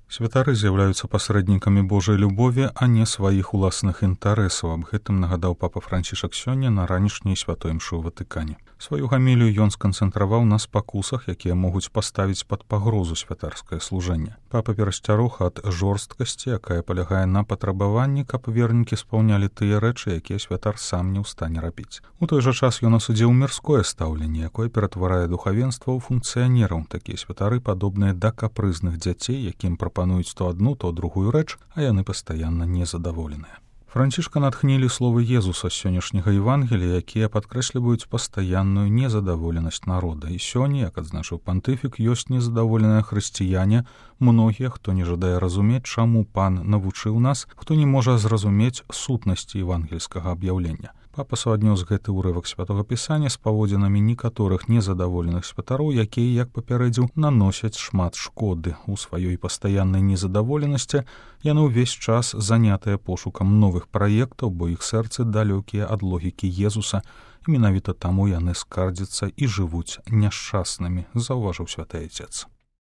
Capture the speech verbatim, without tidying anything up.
Святары з'яўляюцца пасрэднікамі Божай любові, а не сваіх уласных інтарэсаў. Аб гэтым нагадаў папа Францішак сёння на ранішняй святой імшы ў Ватыкане. Сваю гамілію ён сканцэнтраваў на спакусах, якія могуць паставіць пад пагрозу святарскае служэнне. Папа перасцярог ад жорсткасці, якая палягае на патрабаванні, каб вернікі спаўнялі тыя рэчы, якія святар сам не ў стане рабіць. У той жа час ён асудзіў мірское стаўленне, якое ператварае духавенства ў функцыянераў. Такія святары падобныя да капрызных дзяцей, якім прапануюць то адну, то другую рэч, а яны пастаянна незадаволеныя. Францішка натхнілі словы Езуса з сённяшняга Евангелія, якія падкрэсліваюць пастаянную незадаволенасць народа. І сёння, як адзначыў пантыфік, ёсць незадаволеныя хрысціяне, многія, хто не жадае разумець, чаму пан навучыў нас, хто не можа зразумець сутнасці евангельскага аб'яўлення. Папа суаднёс гэты ўрывак святога пісання з паводзінамі некаторых незадаволеных святароў, якія, як папярэдзіў, наносяць шмат шкоды. У сваёй пастаяннай незадаволенасці яны ўвесь час занятыя пошукам новых праектаў, бо іх сэрцы далёкія ад логікі Езуса, і менавіта таму яны скардзяцца і жывуць няшчаснымі, заўважыў святы Айцец.